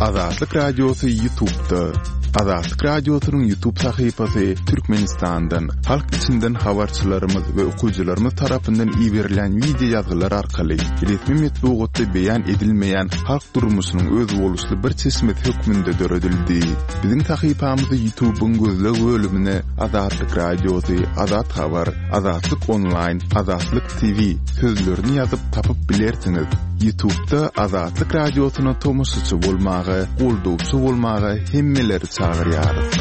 Azatlyk Radiosy Ýutubda. Azatlyk Radiosynyň Ýutub sahypasy Türkmenistandan, halk içinden habarçylarymyz we okyjylarymyz tarapyndan iberilýän wideo ýazgylar arkaly resmi metbugatda beýan edilmeýän halk durmuşynyň özboluşly bir çeşmesi hökmünde döredildi. Biziň sahypamyzy Ýutubyň gözleg bölümine Azatlyk Radiosy, Azat Habar, Azatlyk Onlaýn, Azatlyk TV sözlerini ýazyp tapyp bilersiňiz. Ýutubda Azatlyk Radiosyna tomaşaçy bolmaga, goldawçy bolmaga hemmeleri çagyrýarys.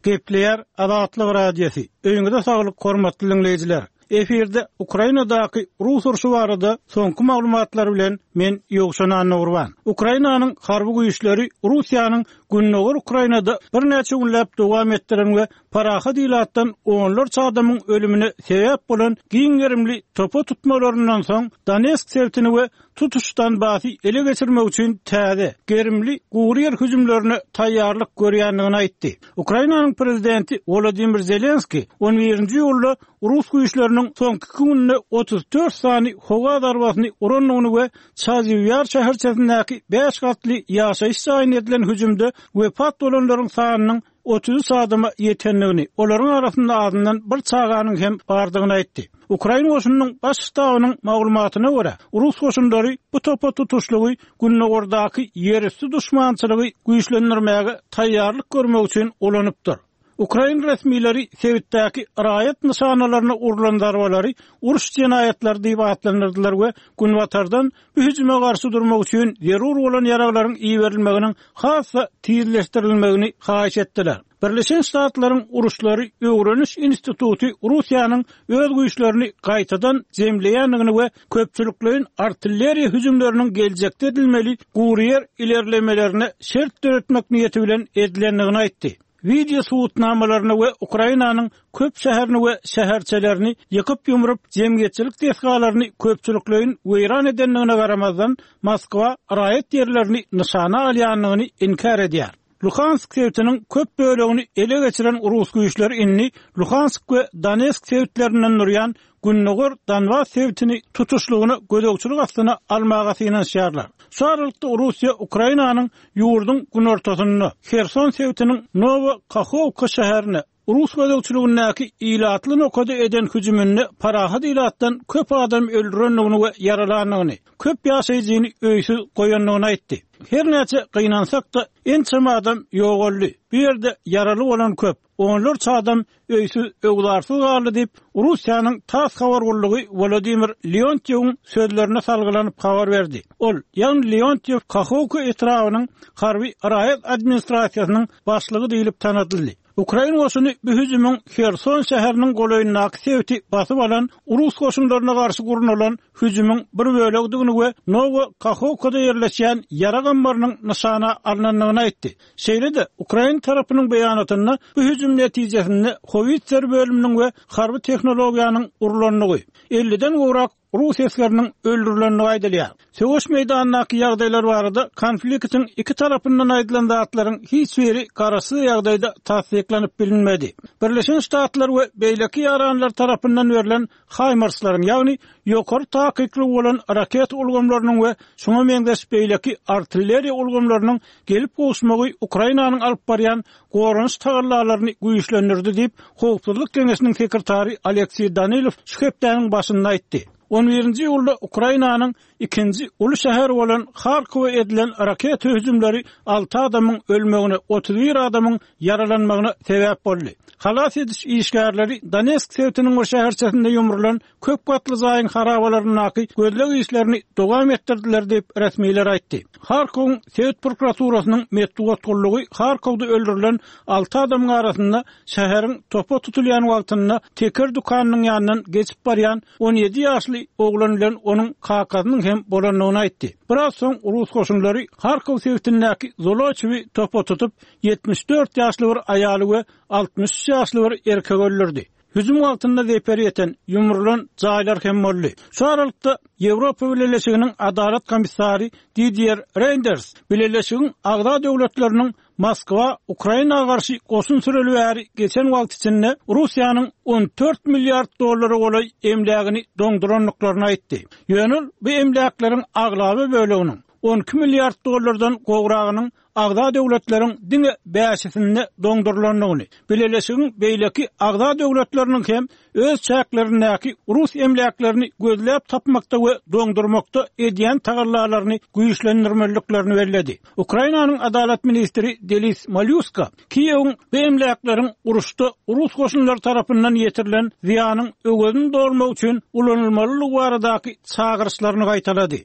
Gepleýär Azatlyk Radiosy. Öýüňize saglyk hormatly diňleýjiler. Efirde Ukrainadaky rus urşy barada soňky maglumatlar bilen men Ýowşan Annagurban. Ukrainanyň harby güýçleri Russiýanyň gündogar Ukrainada birnäçe günläp dowam etdiren we parahat ilatdan onlarça adamyň ölümine sebäp bolan giň gerimli topa tutmalaryndan soň Donetsk sebitini we tutuş Donbasy ele geçirmek üçin täze, gerimli gury ýer hüjümlerine taýýarlyk görýändigini aýtdy. Ukrainanyň prezidenti Wolodymyr Zelenskiý on birinji iýulda rus güýçleriniň soňky iki günde 34 sany howa zarbasyny urandygyny we Çaziw Ýar şäherçesindäki bäş gatly ýaşaýyş jaýyna edilen hüjümde wepat bolanlaryň sanynyň 33 adama ýetendigini, olaryň arasynda azyndan bir çaganyň hem bardygyny aýtdy. Ukrain goşunynyň Baş ştabynyň maglumatyna görä, rus goşunlary bu topa tutuşlygy gündogardaky ýerüsti duşmançylygy güýçlendirmäge taýýarlyk görmek üçin ulanypdyr. Ukrain resmileri sebitdäki raýat nyşanalaryna urlan zarbalary uruş jenaýatlary diýip atlandyrdylar we Günbatardan bu hüjüme garşy durmak üçin zerur bolan ýaraglaryň iberilmeginiň has-da tizleşdirilmegini haýyş etdiler. Birleşen Ştatlaryň Uruşlary öwreniş instituty Russiýanyň öz güýçlerini gaýtadan jemleýändigini we köpçülikleýin artilleriýa hüjümleriniň geljekde edilmeli guryýer ilerlemelerine şert döretmek niýeti bilen edilendigini aýtdy. Wideo subutnamalaryna we Ukrainanyň köp şäherini we şäherçelerini ýykyp-ýumrup, jemgyýetçilik desgalaryny köpçülikleýin weýran edendigine garamazdan, Moskwa raýat ýerlerini nyşana alýandygyny inkär edýär. Luhansk sebitiniň köp bölegini ele geçiren rus güýçleri indi Luhansk we Donetsk sebitlerinden durýan gündogar Donbas sebitini tutuşlygyna gözegçilik astyna almaga synanyşýarlar. Şu aralykda Russiýa Ukrainanyň ýurduň günortasynda, Herson sebitiniň Nowa Kahowka şäherine rus gözegçiligindäki ilatly nokada eden hüjüminde parahat ilatdan köp adam öldürendigini we ýaralandygyny, köp ýaşaýjyny öýsüz goýandygyny aýtdy. Her näçe gynansak-da, ençeme adam ýogaldy. Bu ýerde ýaraly bolan köp. Onlarça adam öýsüz-öwzarsyz galdy diýip, Russiýanyň tass habar gullugy Wladimir Leontýewiň sözlerine salgylanyp habar berdi. Ol, ýagny Leontýew Kahowka etrabynyň harby raýat administrasiýasynyň başlygy diýlip tanadyldy. Ukrain goşuny bu hüjümiň Herson şäheriniň golaýyndaky sebiti basyp alan rus goşunlaryna garşy gurnalan hüjümiň bir bölegidigini we Nowa Kahowkada ýerleşýän ýarag ammarynyň nyşana alnandygyny aýtdy. Şeýle-de, ukrain tarapynyň beýanatynda bu hüjüm netijesinde howitser bölüminiň we harby tehnologiýanyň urlandygy, elliden gowrak rus esgeriniň öldürilendigi aýdylýar. Söweş meýdanyndaky ýagdaýlar barada konfliktiň iki tarapyndan aýdylan zatlaryň hiç biri garaşsyz ýagdaýda tassyklanyp bilinmedi. Birleşen Ştatlar we beýleki ýaranlar tarapyndan berlen HIMARS-laryň, ýagny ýokary takyklygy bolan raketa ulgamlarynyň we şuňa meňzeş beýleki artilleriýa ulgamlarynyň gelip gowuşmagy Ukrainanyň alyp barýan goranyş tagallalaryny güýçlendirdi diýip, Howpsuzlyk geňeşiniň sekretary Alekseý Danilow şu hepdäniň başynda aýtdy. On birinji iýulda Ukrainanyň Ikinji uly şäher bolan Harkowa edilen raketa hüjümleri alty adamyň ölmegine, 31 adamyň ýaralanmagyna sebäp boldy. Halas ediş işgärleri Donetsk sebitiniň bir şäherçesinde ýumrulan köp gatly jaýyň harabalaryndaky gözleg işlerini dowam etdirdiler diýip, resmiler aýtdy. Harkowyň sebit prokuraturasynyň metbugat gullugy Harkowda öldürilen alty adamyň arasynda şäheriň topa tutulýan wagtynda teker dükanynyň ýanyndan geçip barýan 17 ýaşly oglan bilen onuň kakasynyň hem bolandygyny aýtdy. Biraz soň rus goşunlary Harkow sebitindäki Zoloçewi topa tutup, 74 ýaşly bir aýaly we 63 ýaşly bir erkegi öldürdi. Hüjüm wagtynda zeper ýeten, ýumrulan jaýlar hem boldy. Şu aralykda, Ýewropa Bileleşiginiň Adalat komissary Didier Reýnders Bileleşigiň agza döwletleriniň. Moskwa Ukraina garşy goşun süreli bäri geçen wagt içinde Russiýanyň 14 milliard dollara golaý emlägini doňdurandyklaryny aýtdy. Ýöne ol bu emläkleriň aglaba böleginiň, 12 milliard dollardan gowragynyň agza döwletleriň diňe bäşisinde doňdurylandygyny, bileleşigiň beýleki agza döwletleriniň hem öz çäklerindäki rus emläklerini gözläp tapmakda we doňdurmakda edýän tagallalaryny güýçlendirmeliliklerini belledi. Ukrainanyň adalat ministri Delis Malýuska Kiýewiň bu emläkleriň uruşda rus goşunlary tarapyndan ýetirilen zyýanyň öwezini dolmak üçin ulanylmalydygy baradaky çagyryşlaryny gaýtalady.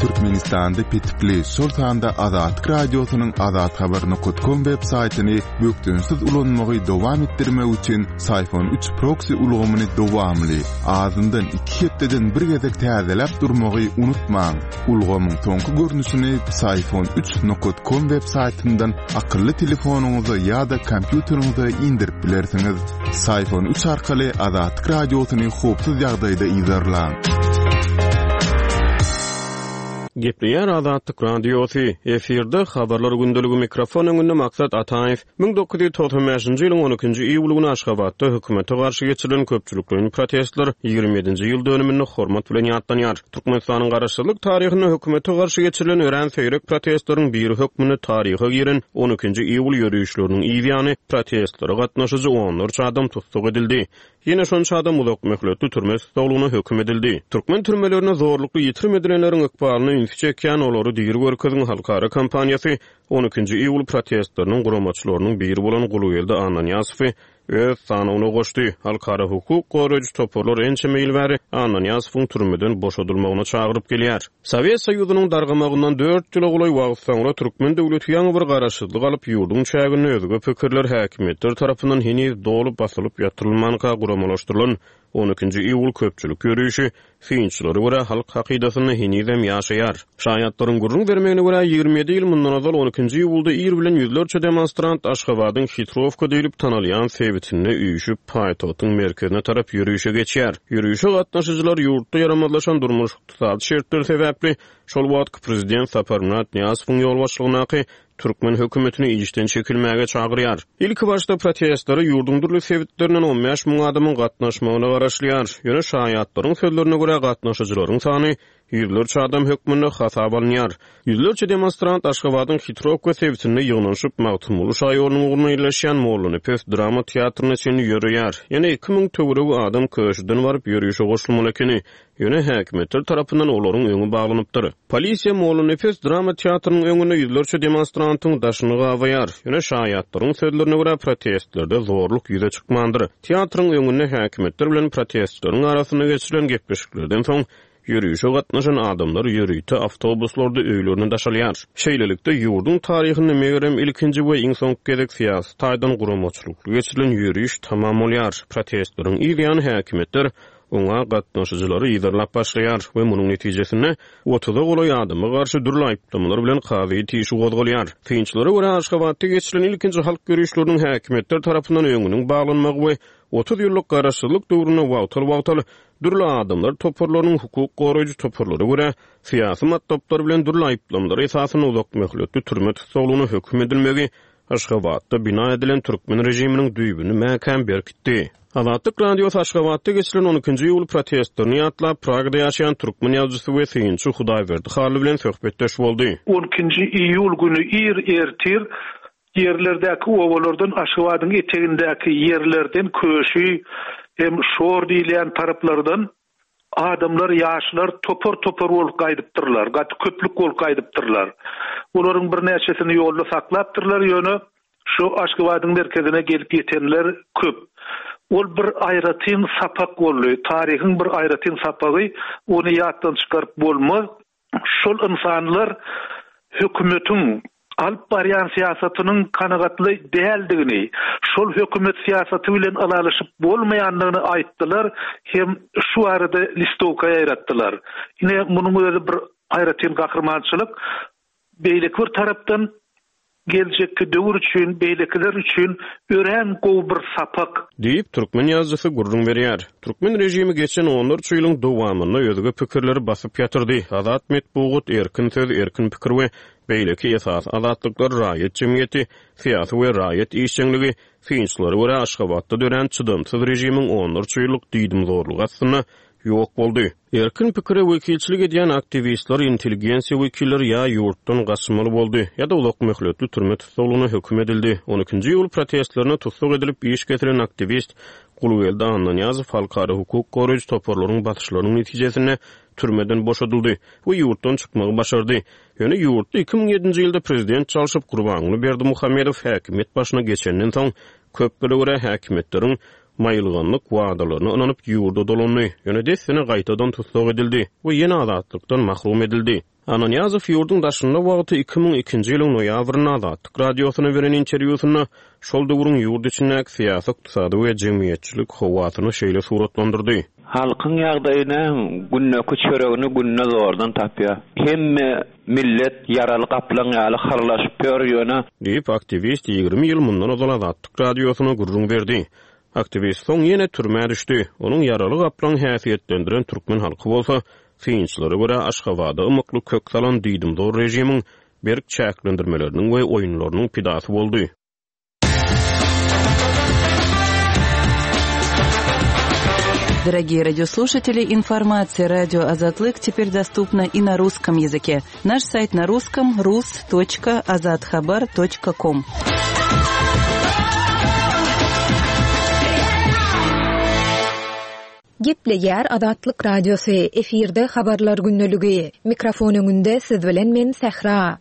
Türkmenistanda petikli, şol sanda Azatlyk Radiosynyň azathabar.com web saýtyny bökdençsiz ulanmagy dowam etdirmek üçin Syfon 3 proksi ulgamyny dowamly, azyndan iki hepdeden bir gezek täzeläp durmagy unutmaň. Ulgamyň soňky görnüşini Syfon 3 com web saýtyndan akylly telefonyňyza ýa-da kompýuteriňize indirip bilersiňiz. Syfon 3 arkaly Azatlyk Radiosyny howpsuz ýagdaýda yzarlaň. Gepleýär Azatlyk Radiosy, efirde Habarlar gündeligi mikrofon öňünde Maksat Ataýew. 1995-nji ýylyň on ikinji iýuly güni Aşgabatda hökümete garşy geçirilen köpçülikleýin protestler 27-nji ýyl dönüminde hormat bilen ýatlanýar. Türkmenistanyň garaşsyzlyk taryhynda hökümete garşy geçirilen örän seýrek protestleriň biri hökmünde taryha giren on ikinji iýul ýörişleriniň yz ýany protestlere gatnaşyjy onlarça adam tussag edildi. Ýene şonça adam uzak möhletli türme tussaglygyna höküm edildi. Türkmen türmelerinde zorlukly ýitirim edilenleriň ykbalyna ünsi çekýän Olary diri görkeziň halkara kampaniýasy on ikinji iýul protestleriniň guramaçylarynyň biri bolan Gulgeldi Annanyýazowy öz sanawyna goşdy. Halkara hukuk goraýjy toparlar ençeme ýyl bäri Annanyýazowyň türmeden boşadylmagyna çagyryp gelýär. Sowet Soýuzynyň dargamagyndan dört ýyla golaý wagt soňra türkmen döwleti ýaňy bir garaşsyzlyk alyp, ýurduň çäginde özge pikirler häkimiýetler tarapyndan heniz doly basylyp ýatyrylmanka guramalaşdyrylan On ikinji iýul köpçülik ýörişi, synçylara görä, halk hakydasynda henizem ýaşaýar. Şaýatlaryň gürrüň bermegine görä, 27 ýyl mundan ozal on ikinji iýulda ir bilen ýüzlerçe demonstrant Aşgabadyň Hitrowka diýlip tanalýan sebitinde üýşüp, paýtagtyň merkezine tarap ýörişe geçýär. Ýörişe gatnaşyjylar ýurtda ýaramazlaşan durmuş-ykdysady şertler sebäpli şol wagtky prezident Saparmyrat Nyýazowyň ýolbaşçylygyndaky türkmen hökümetini işden çekilmäge çagyrýar. Ilkibaşda protestlere ýurduň dürli sebitlerinden 15 müň adamyň gatnaşmagyna garaşylýar. Ýöne şaýatlaryň sözlerine görä, gatnaşyjylaryň sany ýüzlerçe adam hökmünde hasaba alynýar. Ýüzlerçe demonstrant Aşgabadyň Hitrowka sebitinde ýygnanyşyp, Magtymguly şaýolunyň ugrunda ýerleşýän Mollanepes drama teatryna çenli ýöreýär. Ýene 2000 töweregi adam Köşüden baryp ýörişe goşulmaly ekeni. Ýöne häkimiýetler tarapyndan olaryň öňi baglanypdyr. Polisiýa Mollanepes drama teatrynyň öňünde ýüzlerçe demonstrantyň daşyny gabaýar. Ýöne şaýatlaryň sözlerine görä, protestlerde zorluk ýüze çykmandyr. Teatryň öňünde häkimiýetler bilen protestçileriň arasynda geçirilen gepleşiklerden soň, ýörişe gatnaşan adamlar ýörite awtobuslarda öýlerine daşalýar. Şeýlelikde, ýurduň taryhynda megerem ilkinji we iň soňky gezek syýasy taýdan guramaçylykly geçirilen ýöriş tamam bolýar. Protestleriň yz ýany häkimiýetler oňa gatnaşyjylary yzarlap başlaýar we munuň netijesinde otuza golaý adama garşy dürli aýyplamalar bilen kazyýet işi gozgalýar. Synçylara görä, Aşgabatda geçirilen ilkinji halk ýörişleriniň häkimiýetler tarapyndan öňüniň baglanmagy we 30 ýyllyk garaşsyzlyk döwründe wagtal-wagtal dürli adamlar toparlarynyň hukuk goraýjy toparlara görä syýasy matlaplar bilen dürli aýyplamalar esasynda uzakmöhletli türme tussaglygyna höküm edilmegi Aşgabatda bina edilen türkmen režiminiň düýbüni mäkäm berkitdi. Azatlyk Radiosy Aşgabatda geçirilen on ikinji iýul protestlerini ýatlap, Pragada ýaşaýan türkmen ýazyjysy we synçy Hudaýberdi Hally bilen söhbetdeş boldy. On ikinji iýul güni ir ertir ýerlerdäki obalardan Aşgabadyň etegindäki ýerlerden Köşi hem Şor diýilýän taraplardan Adamlar, ýaşlar topar-topar bolup gaýdypdyrlar, gaty köplük bolup gaýdypdyrlar. Olaryň birnäçesini ýolda saklapdyrlar, ýöne şu Aşgabadyň merkezine gelip ýetenler köp. Ol bir aýratyn sapak boldy, taryhyň bir aýratyn sapagy, ony ýatdan çykaryp bolmaz. Şol ynsanlar hökümetiň alyp barýan syýasatynyň kanagatly däldigini, şol hökümet syýasaty bilen ylalaşyp bolmaýandygyny aýtdylar hem şu barada listowka ýaýratdylar. Ine, munuň özi bir aýratyn gahrymançylyk. Beýleki bir tarapdan. geljekki döwür üçin, beýlekiler üçin örän gowy bir sapak. Diýip, türkmen ýazyjysy gürrüň berýär. Türkmen režimi geçen onlarça ýylyň dowamynda özge pikirleri basyp ýatyrdy. Azat metbugat, erkin söz, erkin pikir we beýleki esasy azatlyklar raýat jemgyýeti, syýasy we raýat işjeňligi, synçylara görä, Aşgabatda dörän çydamsyz režimiň onlarça ýyllyk diýdimzorlugy astynda ýok boldy. Erkin pikire wekilçilik edýän aktiwistler, intelligensiýa wekilleri ýa ýurtdan gaçmaly boldy, ýa-da uzak möhletli türme tussaglygyna höküm edildi. On ikinji iýul protestlerinde tussag edilip, iş kesilen aktiwist Gulgeldi Annanyýazow halkara hukuk goraýjy toparlaryň basyşlarynyň netijesinde türmeden boşadyldy we ýurtdan çykmagy başardy. Ýöne ýurtda 2007-nji ýylda prezident çalşyp, Gurbanguly Berdimuhamedow häkimiýet başyna geçenden soň, köplere görä häkimiýetleriň maýylganlyk wadalaryna ynanyp ýurda dolandy, ýöne dessine gaýtadan tussag edildi we ýene azatlykdan mahrum edildi. Annanyýazow ýurduň daşynda wagty 2002-nji ýylyň noýabrynda Azatlyk Radiosyna beren interwýusynda şol döwrüň ýurt içindäki syýasy-ykdysady we jemgyýetçilik howasyny şeýle suratlandyrdy. Halkyň ýagdaýy näme, gündeki çöregini günde zordan tapýar. Hemme millet ýaraly gaplaň ýaly hyrlaşyp ýör, ýöne. Diýip, aktiwist 20 ýyl mundan ozal Azatlyk Radiosyna gürrüň berdi. Aktiwist soň ýene türmä düşdi. Onuň ýaraly gaplaň häsiýetlendiren türkmen halky bolsa, synçylara görä, Aşgabada ymykly kök salan diýdimzor režimiň berk çäklendirmeleriniň we oýunlarynyň pidasy boldy. Дорогие радиослушатели, информация радио Азатлык теперь доступна и на русском языке. Наш сайт на русском rus.azathabar.com. Gepleýär Azatlyk Radiosy, efirde Habarlar gündeligi. Mikrofon öňünde siz bilen men Sähra.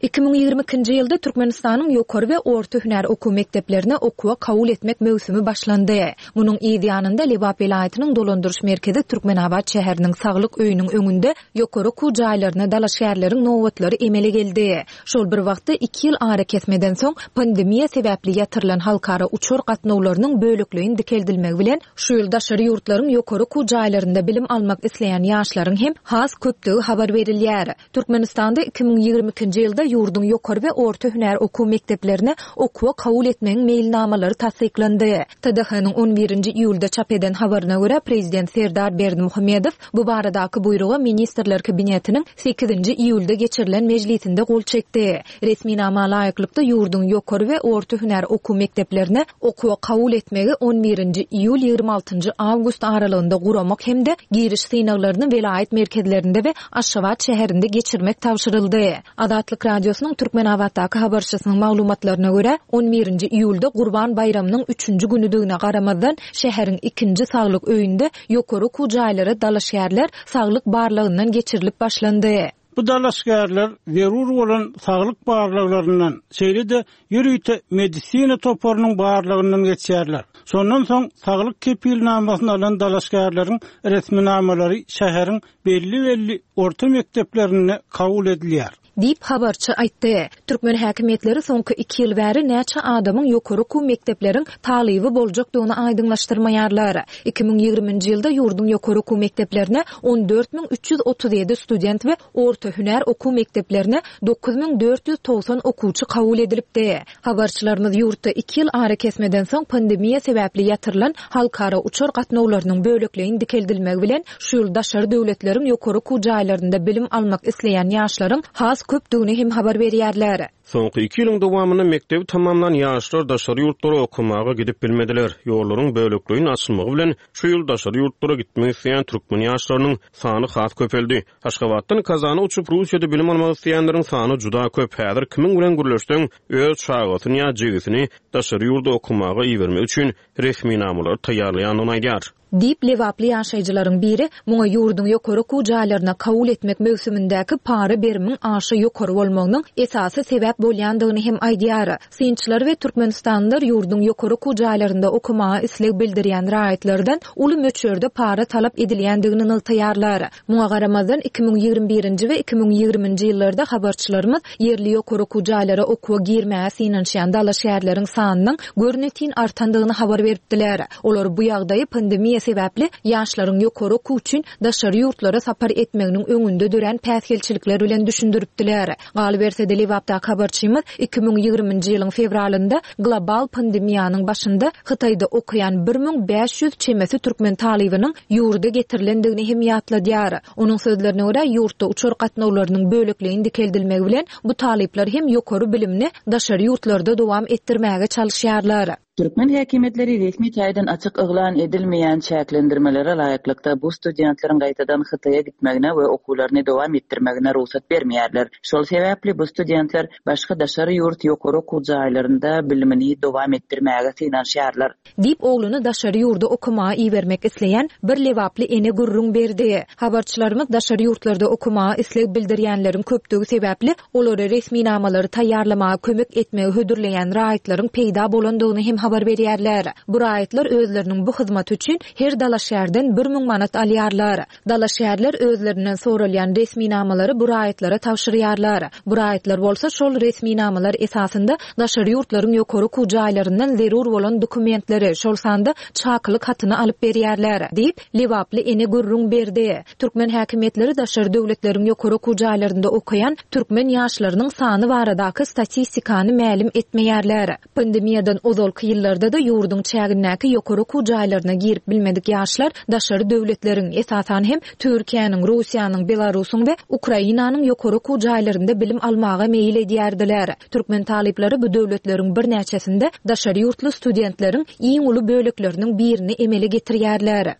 2022-nji ýylda Türkmenistanyň ýokary we orta hünär okuw mekdeplerine okuwa kabul etmek möwsümi başlandy. Munuň yz ýanynda Lebap welaýatynyň dolandyryş merkezi Türkmenabat şäheriniň Saglyk öýüniň öňünde ýokary okuw jaýlaryna dalaşgärleriň nobatlary emele geldi. Şol bir wagtda, iki ýyl arakesmeden soň pandemiýa sebäpli ýatyrylan halkara uçar gatnawlarynyň bölekleýin dikeldilmegi bilen, şu ýyl daşary ýurtlaryň ýokary okuw jaýlarynda bilim almak isleýän ýaşlaryň hem has köpdügi habar berilýär. Türkmenistanda 2022-nji ýylda ýurduň ýokary we orta hünär okuw mekdeplerine okuwa kabul etmegiň meýilnamalary tassyklandy. TDH-nyň on birinji iýulda çap eden habaryna görä, prezident Serdar Berdimuhamedow bu baradaky buýruga Ministrler Kabinetiniň sekizinji iýulda geçirilen mejlisinde gol çekdi. Resminama laýyklykda, ýurduň ýokary we orta hünär okuw mekdeplerine okuwa kabul etmegi on birinji iýul, 26 njy awgust aralygynda guramak hem-de giriş synaglaryny welaýat merkezlerinde we Aşgabat şäherinde geçirmek tabşyryldy. Azatlyk Radiosynyň Türkmenabatdaky habarçysynyň maglumatlaryna görä, on birinji iýulda Gurban baýramynyň üçünji günüdigine garamazdan, şäheriň ikinji saglyk öýünde ýokary okuw jaýlara dalaşgärler saglyk barlagyndan geçirilip başlandy. Bu dalaşgärler zerur bolan saglyk barlaglaryndan, şeýle-de ýörite medisina toparynyň barlagyndan geçýärler. Şondan soň saglyk kepilnamasyny alan dalaşgärleriň resminamalary şäheriň belli-belli orta mekdeplerinde kabul edilýär. Diýip, habarçy aýtdy. Türkmen häkimiýetleri soňky iki ýyl bäri näçe adamyň ýokary okuw mekdepleriň talyby boljakdygyny aýdyňlaşdyrmaýarlar. 2020-nji ýylda ýurduň ýokary okuw mekdeplerine 14 337 student we orta hünär okuw mekdeplerine 9490 okuwçy kabul edilipdi. Habarçylarymyz ýurtda iki ýyl arakesmeden soň pandemiýa sebäpli ýatyrylan halkara uçar gatnawlarynyň bölekleýin dikeldilmegi bilen, şu ýyl daşary döwletleriň ýokary okuw jaýlarynda bilim almak isleýän ýaşlaryň has köpdügini hem habar berýärler. Soňky iki ýylyň dowamynda mekdebi tamamlan ýaşlar daşary ýurtlara okamaga gidip bilmediler. Ýollaryň bölekleýin açylmagy bilen, şu ýyl daşary ýurtlara gitmek isleýän türkmen ýaşlarynyň sany has köpeldi. Aşgabatdan Kazana uçup, Russiýada bilim almak isleýänleriň sany juda köp. Häzir kimiň bilen gürleşseň, öz çagasyny ýa jigisini daşary ýurda okamaga ibermek üçin resminamalary taýýarlaýandygyny aýdýar. Diýip, lebaply ýaşaýjylaryň biri muňa ýurduň ýokary okuw jaýlaryna kabul etmek möwsümindäki para berimiň aşa ýokary bolmagynyň esasy sebäp bolýandygyny hem aýdýar. Synçylar we türkmenistanlylar ýurduň ýokary okuw jaýlarynda okamaga isleg bildirýän raýatlardan uly möçberde para talap edilýändigini nygtaýarlar. Muňa garamazdan, 2021-nji we 2020-nji ýyllarda habarçylarymyz ýerli ýokary okuw jaýlara okuwa girmäge synanyşýan dalaşgärleriň sanynyň görnetin artandygyny habar beripdiler. Olar bu ýagdaýy pandemiýa sebäpli ýaşlaryň ýokary okuw üçin daşary ýurtlara sapar etmeginiň öňünde dörän päsgelçilikler bilen düşündiripdiler. Galyberse-de, Lebapdaky habarçylarymyz. Habarçymyz 2020-nji ýylyň fewralynda global pandemiýanyň başynda Hytaýda okaýan 1500 çemesi türkmen talybynyň ýurda getirilendigini hem ýatladýar. Onuň sözlerine görä, ýurtda uçar gatnawlarynyň bölekleýin dikeldilmegi bilen, bu talyplar hem ýokary bilimini daşary ýurtlarda dowam etdirmäge çalyşýarlar. Türkmen häkimiýetleri resmi taýdan açyk yglan edilmeýän çäklendirmelere laýyklykda bu studentleriň gaýtadan Hytaýa gitmegine we okuwlaryny dowam etdirmegine rugsat bermeýärler. Şol sebäpli bu studentler başga daşary ýurt ýokary okuw jaýlarynda bilimini dowam etdirmäge synanyşýarlar. Diýip, ogluny daşary ýurda okamaga ibermek isleýän bir lebaply ene gürrüň berdi. Habarçylarymyz daşary ýurtlarda okamaga isleg bildirýänleriň köpdügi sebäpli, olara resminamalary taýýarlamaga kömek etmegi hödürleýän raýatlaryň peýda bolandygyny hem habar berýärler. Bu raýatlar özleriniň bu hyzmaty üçin her dalaşgärden 1000 manat alýarlar. Dalaşgärler özlerinden soralýan resminamalary bu raýatlara tabşyrýarlar. Bu raýatlar bolsa şol resminamalar esasynda daşary ýurtlaryň ýokary okuw jaýlaryndan zerur bolan dokumentleri, şol sanda çakylyk hatyny alyp berýärler, diýip, lebaply ene gürrüň berdi. Türkmen häkimiýetleri daşary döwletleriň ýokary okuw jaýlarynda okaýan türkmen ýaşlarynyň sany baradaky statistikany mälim etmeýärler. Pandemiýadan ozalky ýyllarda-da ýurduň çägindäki ýokary okuw jaýlaryna girip bilmedik ýaşlar daşary döwletleriň, esasan hem, Türkiýäniň, Russiýanyň, Belarusyň we Ukrainanyň ýokary okuw jaýlarynda bilim almaga meýil edýärdiler. Türkmen talyplary bu döwletleriň birnäçesinde daşary ýurtly studentleriň iň uly bölekleriniň birini emele getirýärler.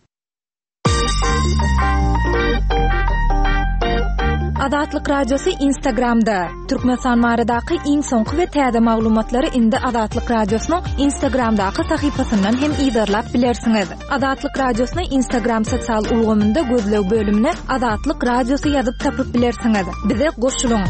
Azatlyk Radiosy Instagramda, Türkmenistan baradaky iň soňky we täze maglumatlary indi Azatlyk Radiosynyň Instagramdaky sahypasyndan hem yzarlap bilersiňiz. Azatlyk Radiosyny Instagram sosial ulgamynda gözleg bölümine Azatlyk Radiosy ýazyp tapyp bilersiňiz. Bize goşulyň!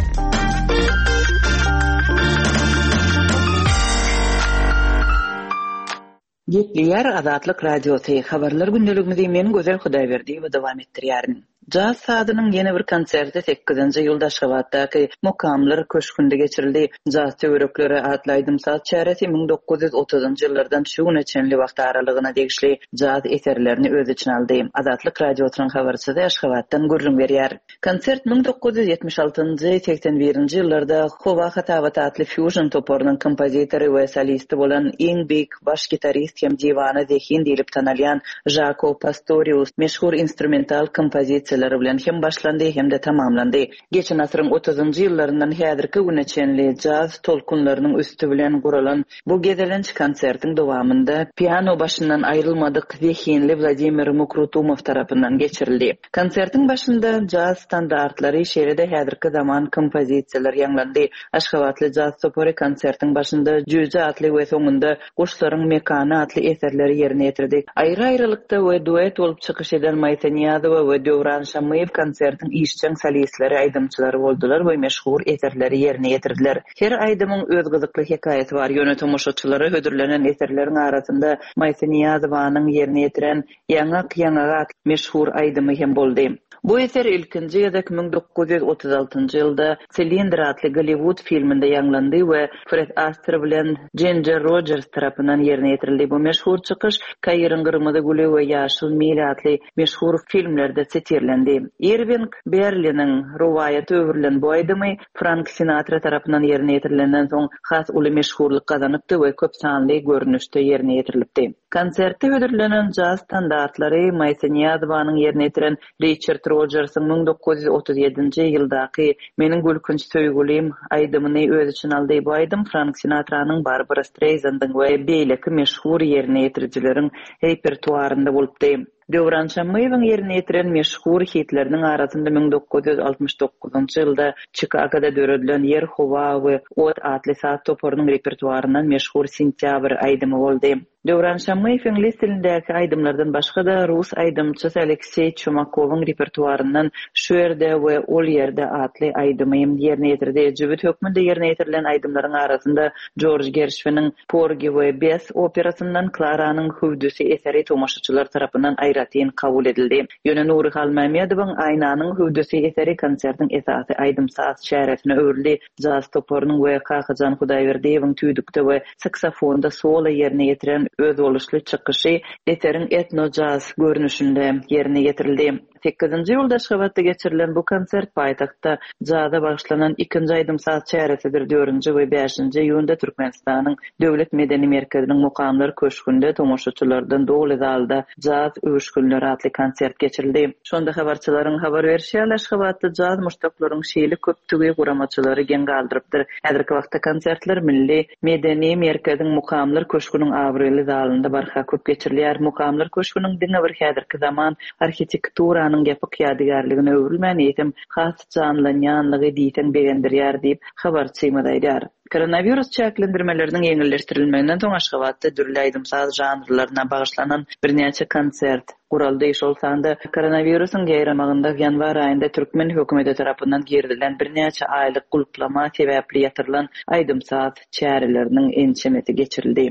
Gepleýär Azatlyk Radiosy, Habarlar gündeligimizi men Gözel Hudaýberdiýewa dowam etdirýärin. Jaz sazynyň ýene bir konserti sekizinji iýulda Aşgabatdaky Mukamlar köşgünde geçirildi. Jaz töwerekleri atly aýdym-saz çäresi 1930-njy ýyllardan şu güne çenli wagt aralygyna degişli jaz eserlerini öz içine aldy. Azatlyk Radiosynyň habarçysy Aşgabatdan gürrüň berýär. Konsert 1976-njy, 81-nji ýyllarda Howa hasabaty atly fýužn toparynyň kompozitory we solisti bolan iň beýik baş gitarist hem diwana zehin diýlip tanalýan Žako Pastorius meşhur instrumental kompozisiýalary bilen hem başlandy hem-de tamamlandy. Geçen asyryň otuzynjy ýyllaryndan häzirki güne çenli jaz tolkunlarynyň üsti bilen guralan bu gezelenç konsertiň dowamynda piano başyndan aýrylmadyk zehinli Wladimir Mukrutumow tarapyndan geçirildi. Konsertiň başynda jaz standartlary, şeýle-de häzirki zaman kompozisiýalar ýaňlandy. Aşgabatly jaz topary konsertiň başynda Jüýje atly we soňunda Guşlaryň mekany atly eserleri ýerine ýetirdi. Aýry-aýrylykda we duet bolup çykyş eden Maýsa Nyýazowa we Döwran Şammyýew konsertiň işjeň solistleri, aýdymçylary boldular we meşhur eserleri ýerine ýetirdiler. Her aýdymyň öz gyzykly hekaýasy bar, ýöne tomaşaçylara hödürlenen eserleriň arasynda Maýsa Nyýazowanyň ýerine ýetiren Ýaňak ýaňaga atly meşhur aýdymy hem boldy. Bu eser ilkinji gezek 1936-njy ýylda Silindr atly Golliwud filminde ýaňlandy we Fred Aster bilen Jinjer Rojers tarapyndan ýerine ýetirildi. Bu meşhur çykyş Kairiň gyrmyzy güli we Ýaşyl mil atly meşhur filmlerde sitirlendi. Irwing Berliniň rowaýata öwrülen bu aýdymy Frank Sinatra tarapyndan ýerine ýetirilenden soň has uly meşhurlyk gazanypdy we köp sanly görnüşde ýerine ýetirilipdi. Konsertde hödürlenen jaz standartlary Maýsa Nyýazowanyň ýerine ýetiren Riçard Rojersiň 1937-nji ýyldaky Meniň gülkünç söýgülim aýdymyny öz içine aldy. Bu aýdym Frank Sinatranyň, Barbara Streýzandyň we beýleki meşhur ýerine ýetirijileriň repertuarynda bolupdy. Döwran Şammyýewiň ýerine ýetiren meşhur hitleriniň arasynda 1969-njy ýylda Çikagoda döredilen Ýer, howa we ot atly saz toparynyň repertuaryndan meşhur Sentýabr aýdymy boldy. Döwran Şammyýew iňlis dilindäki aýdymlardan başga-da, rus aýdymçysy Alekseý Çumakowyň repertuaryndan Şu ýerde we ol ýerde atly aýdymy ýerine ýetirdi. Jübüt hökmünde ýerine ýetirilen aýdymlaryň arasynda Jorj Gerşwiniň Porgi we Bess operasyndan Klaranyň hüwdüsi eseri tomaşaçylar tarapyndan aýratyn kabul edildi. Ýöne Nury Halmämmedowyň Aýnanyň hüwdüsi eseri konsertiň esasy aýdym-saz çäresine öwrüldi. Jaz toparynyň we Kakajan Hudaýberdiýewiň tüýdükde we saksofonda solo ýerine ýetiren özboluşly çykyşy eseriň etno-jaz görnüşinde ýerine ýetirildi. Sekizinji iýulda Aşgabatda geçirilen bu konsert paýtagtda jaza bagyşlanan ikinji aýdym-saz çäresidir. Dördünji we bäşinji iýunda Türkmenistanyň Döwlet medeni merkeziniň Mukamlar köşgünde tomaşaçylardan doly zalda Jaz öwüşginleri atly konsert geçirildi. Şonda habarçylaryň habar berşi ýaly, Aşgabatda jaz muşdaklaryň şeýle köpdügi guramaçylary geň galdyrypdyr. Häzirki wagtda konsertler Milli medeni merkeziň Mukamlar köşgüniň abraýly zalynda barha köp geçirilýär. Mukamlar köşgüniň diňe bir häzirki zaman arhitekturanyň ýapyk ýadygärligine öwrülmän, eýsem, has janlanýanlygy diýseň begendirýär diýip, habarçymyz aýdýar. Koronawirus çäklendirmeleriniň ýeňilleşdirilmeginden soň Aşgabatda dürli aýdym-saz žanrlaryna bagyşlanan birnäçe konsert guraldy. Şol sanda koronawirusyň ýaýramagynda ýanwar aýynda türkmen hökümeti tarapyndan girizilen birnäçe aýlyk gulplama sebäpli ýatyrylan aýdym-saz çäreleriniň ençemesi geçirildi.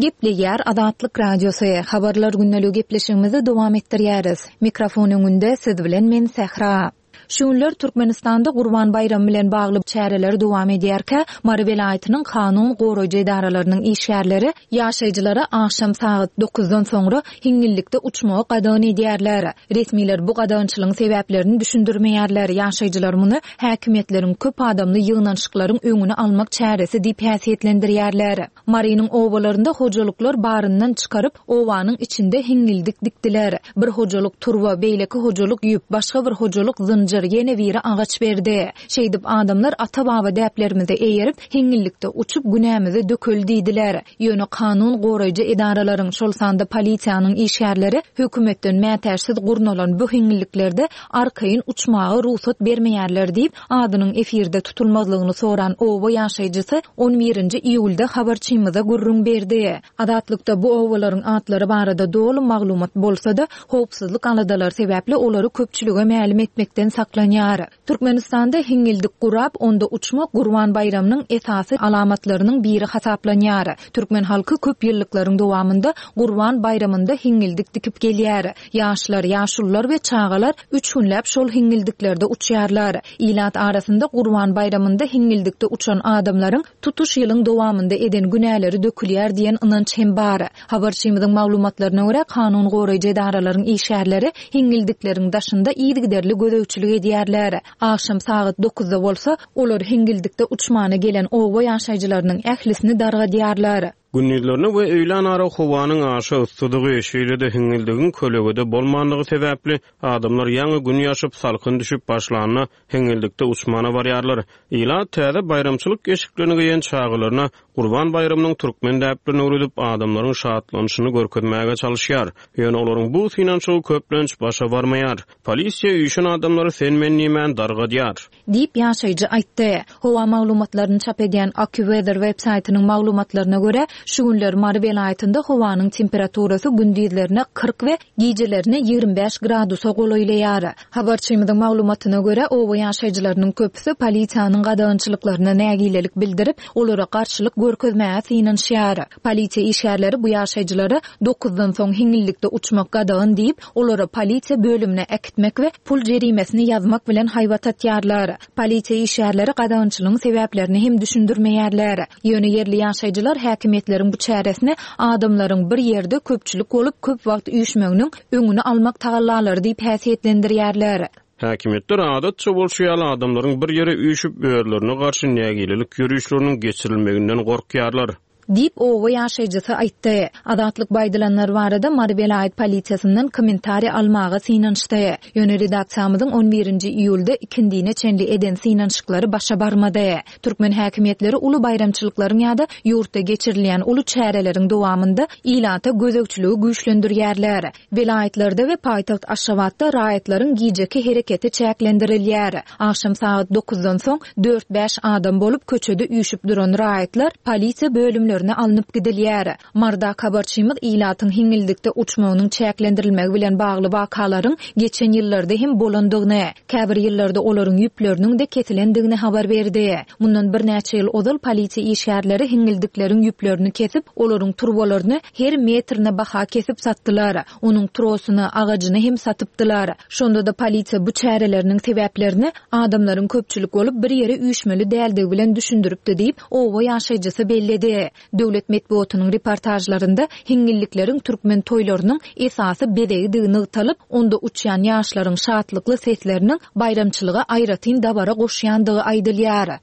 Gepleýär Azatlyk Radiosy, Habarlar gündeligi gepleşigimizi dowam etdirýäris. Mikrofon öňünde siz bilen men Sähra. Şu günler Türkmenistanda Gurban baýramy bilen bagly çäreler dowam edýärkä, Mary welaýatynyň kanun goraýjy edaralarynyň işgärleri ýaşaýjylara agşam sagat dokuzdan soňra hiňňillikde uçmagy gadagan edýärler. Resmiler bu gadagançylygyň sebäplerini düşündirmeýärler, ýaşaýjylar muny häkimiýetleriň köp adamly ýygnanyşyklaryň öňüni almak çäresi diýip häsiýetlendirýärler. Marynyň obalarynda hojalyklar baryndan çykaryp, obanyň içinde hiňňildik dikdiler. Bir hojalyk turba, beýleki hojalyk ýüp, başga bir hojalyk zynjyr, ýene biri agaç berdi. Şeýdip, adamlar ata-baba däplerimize eýerip, hiňňillikde uçup, günämizi dökeli diýdiler. Ýöne kanun goraýjy edaralaryň, şol sanda polisiýanyň işgärleri hökümetden mätäçsiz gurnalan bu hiňňilliklerde arkaýyn uçmaga rugsat bermeýärler diýip, Adynyň efirde tutulmazlygyny soran oba ýaşaýjysy on birinji iýulda habarçymyza gürrüň berdi. Azatlykda bu obalaryň atlary barada doly maglumat bolsa-da, howpsuzlyk aladalary sebäpli olary köpçülige mälim etmekden saklanýar. Türkmenistanda hiňňildik gurap, onda uçmak Gurban baýramynyň esasy alamatlarynyň biri hasaplanýar. Türkmen halky köp ýyllyklaryň dowamynda Gurban baýramynda hiňňildik dikip gelýär. Ýaşlar, ýaşulular we çagalar üç günläp şol hiňňildiklerde uçýarlar. Ilat arasynda Gurban baýramynda hiňňildikde uçan adamlaryň tutuş ýylyň dowamynda eden günäleri dökülýär diýen ynanç hem bar. Habarçymyzyň maglumatlaryna görä, kanun goraýjy edaralaryň işgärleri hiňňildikleriň daşynda yzygiderli gözegçilik edýärler. Agşam sagat dokuzda bolsa, olar hiňňildikde uçmana gelen oba ýaşaýjylarynyň ählisini dargadýarlar. Gündizlerine we öýlänara howanyň aşa yssydygy, şeýle-de hiňňildigiň kölegede bolmandygy sebäpli, adamlar ýaňy Gün ýaşyp, salkyn düşüp başlanda, hiňňildikde uçmana barýarlar. Ilat täze baýramçylyk eşiklerini geýen çagalaryna Gurban baýramynyň türkmen däplerini öwredip, adamlaryň şatlanyşyny görkezmäge çalyşýar. Ýöne olaryň bu synanyşygy köplenç başa barmaýar. Polisiýa üýşen adamlary sen-men diýmän dargadýar. Diýip, ýaşaýjy aýtdy. Howa maglumatlaryny çap edýän AccuWeather web-saýtynyň maglumatlaryna görä, şu günler Mary welaýatynda howanyň temperaturasy gündizlerine 40 we gijelerine 25 gradusa golaýlaýar. Habarçymyzyň maglumatyna görä, oba ýaşaýjylarynyň köpüsi polisiýanyň gadagançylyklaryna nägilelik bildirip, olara garşylyk görkezmäge synanyşýar. Polisiýa işgärleri bu ýaşaýjylara dokuzdan soň hiňňildikde uçmak gadagan diýip, olary polisiýa bölümine äkitmek we pul jerimesini ýazmak bilen haýbat atýarlar. Polisiýa işgärleri gadagançylygyň sebäplerini hem düşündirmeýärler. Ýöne ýerli ýaşaýjylar häkimiýetleriň bu çäresini adamlaryň bir ýerde köpçülik bolup köp wagt üýşmeginiň öňüni almak tagallalary diýip häsiýetlendirýärler. Häkimiýetler adatça bolşy ýaly adamlaryň bir ýere üýşüp özlerine garşy nägilelik ýörişleriniň geçirilmeginden gorkýarlar. Diýip, oba ýaşaýjysy aýtdy. Azatlyk bu aýdylanlar barada Mary welaýat polisiýasyndan kommentariý almaga synanyşdy. Ýöne redaksiýamyzyň on birinji iýulda ikindine çenli eden synanyşyklary başa barmady. Türkmen häkimiýetleri uly baýramçylyklaryň ýa-da ýurtda geçirilýän uly çäreleriň dowamynda ilata gözegçiligi güýçlendirýärler. Welaýatlarda we paýtagt Aşgabatda raýatlaryň gijeki hereketi çäklendirilýär. Agşam sagat dokuzdan soň dört-bäş adam bolup köçede üýşüp duran raýatlar polisiýa bölümlerine alnyp gidilýär. Marydaky habarçymyz ilatyň hiňňildikde uçmagynyň çäklendirilmegi bilen bagly wakalaryň geçen ýyllarda hem bolandygyny, käbir ýyllarda olaryň ýüpleriniň-de kesilendigini habar berdi. Mundan birnäçe ýyl ozal polisiýa işgärleri hiňňildikleriň ýüplerini kesip, olaryň turbalaryny her metrine baha kesip satdylar. Onuň trosuny, agajyny hem satypdylar. Şonda-da polisiýa bu çäreleriniň sebäplerini adamlaryň köpçülik bolup bir ýere üýşmeli däldigi bilen düşündiripdi diýip, oba ýaşaýjysy belledi. Döwlet metbugatynyň reportažlarynda hiňňillikleriň türkmen toýlarynyň esasy bezegidigi nygtalyp, onda uçýan ýaşlaryň şatlykly sesleriniň baýramçylyga aýratyn dabara goşýandygy aýdylýar.